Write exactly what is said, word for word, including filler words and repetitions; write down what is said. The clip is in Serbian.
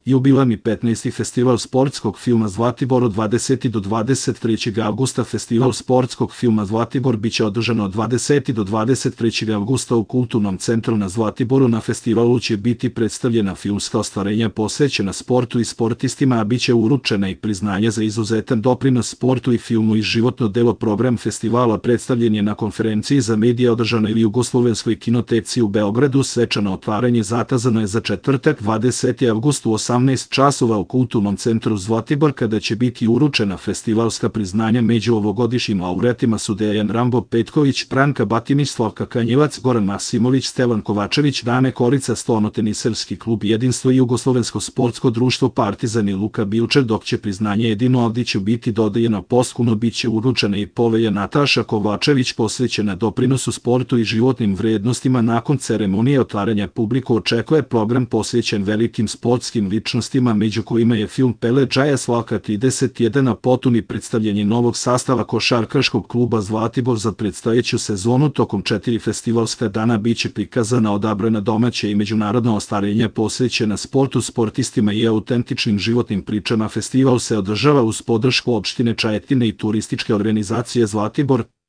Jubilarni petnaesti festival sportskog filma Zlatibor od dvadesetog do dvadeset trećeg avgusta. Festival sportskog filma Zlatibor biće održan od dvadesetog do dvadeset trećeg avgusta u Kulturnom centru na Zlatiboru. Na festivalu će biti predstavljena filmska ostvarenja posvećena sportu i sportistima, a biće uručena i priznanje za izuzetan doprinos sportu i filmu i životno delo. Program festivala predstavljen je na konferenciji za medije održanoj u Jugoslovenskoj kinoteci u Beogradu. Svečano otvaranje zakazano je za četvrtak dvadesetog avgusta u osamnaest časova u Kulturnom centru Zlatibor, kada će biti uručena festivalska priznanja. Među ovogodišnjim laureatima su Dejan Rambo Petković, Branka Batinić, Slavka Kanjivac, Goran Masimović, Stevan Kovačević, Dane Korica, Stolnoteniserski klub Jedinstvo i Jugoslovensko sportsko društvo Partizan i Luka Bilčer, dok će priznanje Edinu Avdiću biti dodeljeno posthumno. Biće uručena i povelja Nataša Kovačević posvećena doprinosu sportu i životnim vrednostima. Nakon ceremonije otvaranja publiku očekuje program posvećen velikim sportskim ličnostima, među kojima je film Pele Džaja Slavka trideset jedan, a potom i predstavljanje novog sastava košarkaškog kluba Zlatibor za predstojeću sezonu. Tokom četiri festivalska dana biće prikazana odabrana domaća i međunarodna ostvarenja posvećena sportu, sportistima i autentičnim životnim pričama. Festival se održava uz podršku opštine Čajetina i turističke organizacije Zlatibor.